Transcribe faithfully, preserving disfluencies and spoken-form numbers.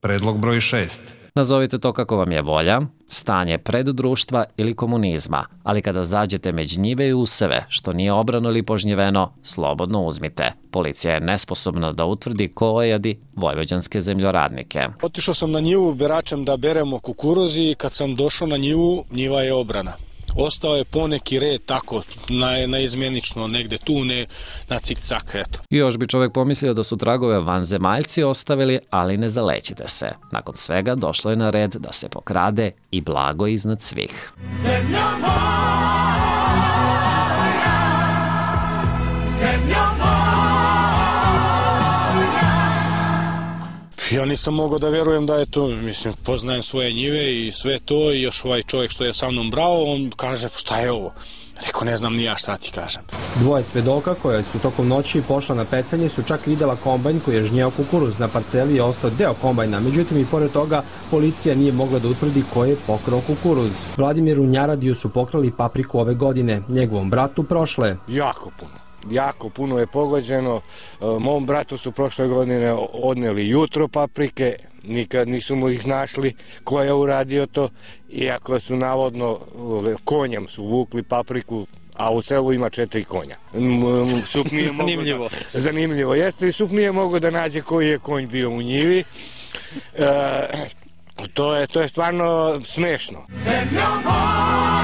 Predlog broj šest. Nazovite to kako vam je volja, stanje preddruštva ili komunizma, ali kada zađete među njive i useve, što nije obrano ili požnjeveno, slobodno uzmite. Policija je nesposobna da utvrdi ko ojadi vojvođanske zemljoradnike. Otišao sam na njivu beračem da beremo kukuruz i kad sam došao na njivu, njiva je obrana. Ostao je poneki red tako, na, naizmjenično, negde tu, ne na cik-cak, eto. I još bi čovjek pomislio da su tragove vanzemaljci ostavili, ali ne zalećite se. Nakon svega došlo je na red da se pokrade i blago iznad svih. Zemlja moja, zemlja moja. Ja nisam mogao da verujem da je to, mislim, poznajem svoje njive i sve to i još ovaj čovjek što je sa mnom brao, on kaže šta je ovo? Rekao, ne znam ni ja šta ti kažem. Dvoje svedoka koje su tokom noći pošla na pecanje su čak vidjela kombajn koji je žnjeo kukuruz. Na parceli je ostao deo kombajna, međutim i pored toga policija nije mogla da utvrdi ko je pokrao kukuruz. Vladimiru Njaradiju su pokrali papriku ove godine, njegovom bratu prošle. Jako puno. Jako puno je pogođeno. Mom bratu su prošle godine odneli jutro paprike, nikad nisu mu ih našli ko je uradio to, iako su navodno konjem su vukli papriku, a u selu ima četiri konja. Sup nije Zanimljivo. Da, zanimljivo jeste i Sup nije mogao da nađe koji je konj bio u njivi. E, to, je, to je stvarno smešno. Zemlja moja.